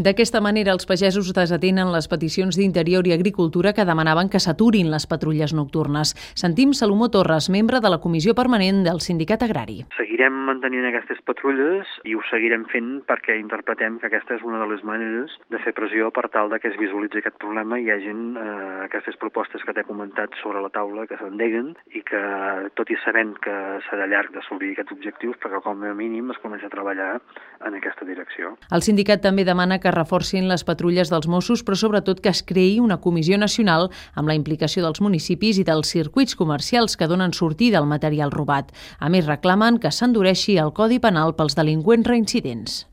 D'aquesta manera, els pagesos desatenen les peticions d'Interior i Agricultura que demanaven que s'aturin les patrulles nocturnes. Sentim Salomó Torres, membre de la Comissió Permanent del Sindicat Agrari. Seguirem mantenint aquestes patrulles i ho seguirem fent perquè interpretem que aquesta és una de les maneres de fer pressió per tal de que es visualitzi aquest problema i hi hagin aquestes propostes que t'he comentat sobre la taula que s'endeguen i que, tot i sabent que serà llarg d'assolir aquests objectius, però que com a mínim es comença a treballar en aquesta direcció. El sindicat també demana que reforcin les patrulles dels Mossos, però sobretot que es creï una comissió nacional amb la implicació dels municipis i dels circuits comercials que donen sortida al material robat. A més, reclamen que s'endureixi el Codi Penal pels delinqüents reincidents.